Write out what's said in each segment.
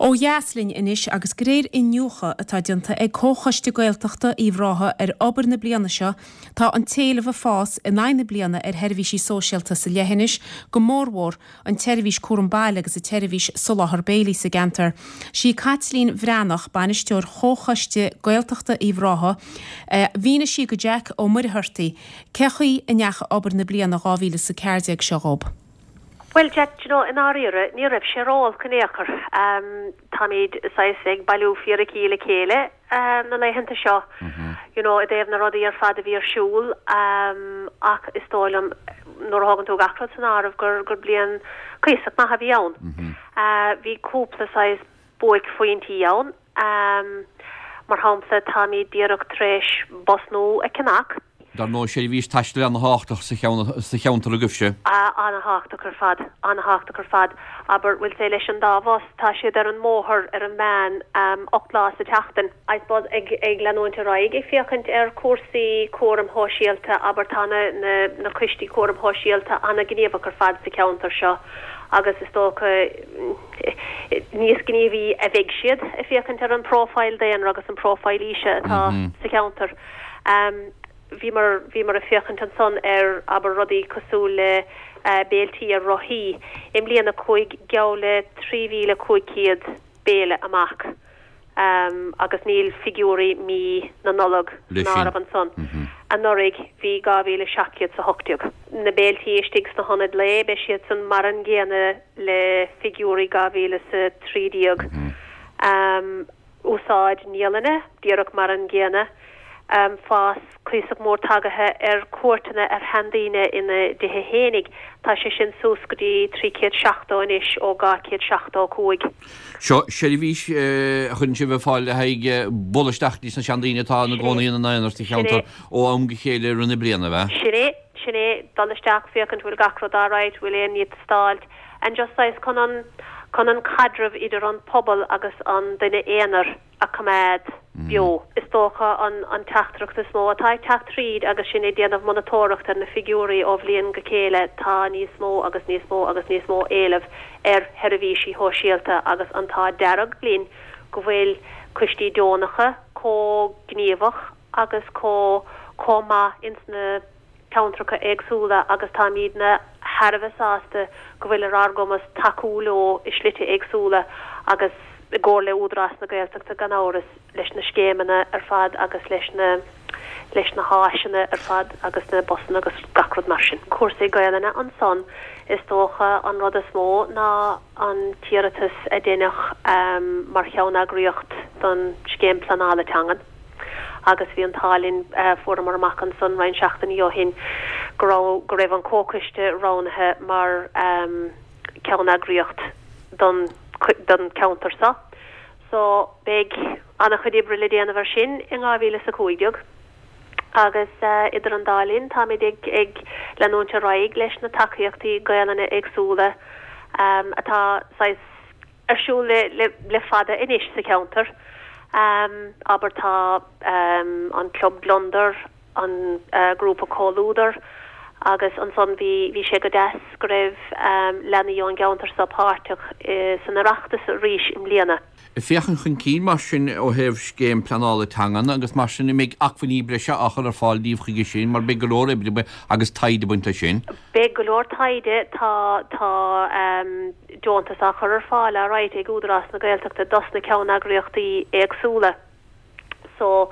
Ó dheas linn anois agus de réir iniúchadh atá déanta ag Comhchoiste Gaeltachta Uíbh Ráthaigh ar obair na bliana seo, tá an t-éileamh ag fás in aghaidh na bliana ar sheirbhísí sóisialta sa leithinis, go mórmhór an tseirbhís cúram baile agus an tseirbhís soláthar béilí sa gceantar. Sí Caitlín Bhreathnach, bainisteoir Chomhchoiste Gaeltachta Uíbh Ráthaigh, a mhínigh sí go Jack Ó Muircheartaigh cé chaoi a ndeachaigh obair na bliana 2014 seo dhób. Bhuel, Jack, do you know, i ndáiríre, ní raibh sé ró-olc in aon chor. Táimid saghas ag bailiú fíricí le chéile na laethanta seo, you know, i dtaobh na rudaí ar fad a bhí ar siúl ach is dóigh liom, nuair a thógann tú gach rud san áireamh, gur, gur bliain cuíosach maith a bhí ann. Bhí cúpla saghas buaicphointí ann. Mar shampla, táimid díreach tar éis bus nua a cheannach. Dar ndóigh, seirbhís taistil ana-thábhachtach sa cheantar agaibhse. Ana-thábhachtach ar fad, ana-thábhachtach ar fad. Abair, bhfuil sé leis an dá bhus, tá siad ar an mbóthar ar an meán 8 lá sa tseachtain. I suppose ag ag leanúint ar aghaidh ag féachaint ar chúrsaí cúraim shóisialta, abair, tá na na na coistí cúraim shóisialta ana-ghníomhach ar fad sa cheantar seo agus is dócha níos gníomhaí a bheidh siad ag féachaint ar an bpróifíl daonra agus an próifíl aoise atá sa cheantar. Bhíomar, bhíomar ag féachaint ansan ar, abair, rudaí cosúil le béiltí ar rothaí. I mbliana chuaigh geall le 3,500 béile amach agus níl figiúirí mí na Nollag san áireamh ansan. Anuraidh bhí 2,718. Na béiltí istigh sna hionaid lae, beidh siadsan mar an gcéanna le figiúirí 2013. Úsáid naíolanna, díreach mar an gcéanna. Fás cuíosach mór tagaithe ar chuairteanna ar sheandaoine ina dtithe fhéinig. Tá sé sin suas go dtí 370 anois ó 275. Seo seirbhís a chuireann sibh ar fáil le haghaidh bualadh isteach go dtí na seandaoine atá ina gcónaí ina n-aonar sa cheantar ó am go chéile i rith na bliana, ab ea? Sin é, sin é. Dul isteach, féachaint bhfuil gach rud alright, bhfuil aon ní ag teastáilt. And just saghas chun an, chun an caidreamh idir an pobal agus an duine aonair a choimeád beo. Is dócha an an teachtaireacht is mó atá ag teacht tríd agus sinn ag déanamh monatóireacht ar na figiúirí ó bhliain go chéile, tá níos mó agus níos mó agus níos mó éileamh ar sheirbhísí shóisialta agus an t-ádh dearg linn go bhfuil coistí deonacha chomh gníomhach agus chomh chomh maith ins na ceantracha éagsúla agus táimidne thar a bheith sásta go bhfuil ar ár gcumas tacú leo i slite éagsúla agus i gcomhar le Údarás na Gaeltachta gan amhras, leis na scéimeanna ar fad agus leis na leis na háiseanna ar fad agus na busanna agus gach rud mar sin. Cúrsaí Gaelainne ansan, is dócha an rud is mó ná an t-iarratas a deineadh mar cheann-eagraíocht don Scéim Pleanála Teangan. agus bhí an t-ádh linn, fuaireamar amach ansan roinnt seachtainí ó shin go raibh, go raibh an Comhchoiste roghnaithe mar ceann-eagraíocht don, don ceantar seo. So beidh an-chuid oibre le déanamh ar sin in 2015 agus idir an dá linn táimid ag, ag leanúint ar aghaidh leis na tacaíochtaí Gaelainne éagsúla atá saghas, ar siúl le fada anois sa cheantar. Abair tá an Club Gliondar, an grúpa Comhluadar agus ansan bhí bhí sé go deas go raibh leanaí ón gceantar seo páirteach san Oireachtas arís i mbliana. Ag féachaint chun cinn mar sin ó thaobh scéim pleanála teangan agus mar sin, an mbeidh acmhainní breise á chur ar fáil daoibh chuige sin mar beidh go leor oibre agus taighde ag baint leis sin? Beidh go leor taighde, tá tá. deontas á chur ar fáil alright ag Údarás na Gaeltachta dos na ceanneagraíochtaí éagsúla so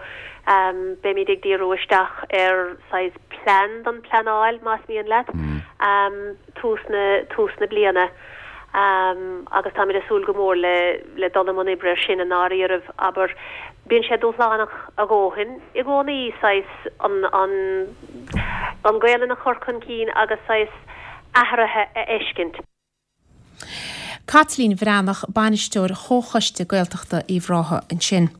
beimid ag díriú isteach ar saghas plean don pleanáil más mian leat tús na tús na bliana agus táimid ag súil go mór le le dul i mbun oibre ar sin i ndáiríribh abair bíonn sé dúshlánach a dhóthain i gcónaí saghas an an an Gaelainn a chur chun cinn agus saghas athruithe a fheiscint. Caitlín Bhreathnach, Bainisteoir Chomhchoiste Gaeltachta Uíbh Ráthaigh ansin.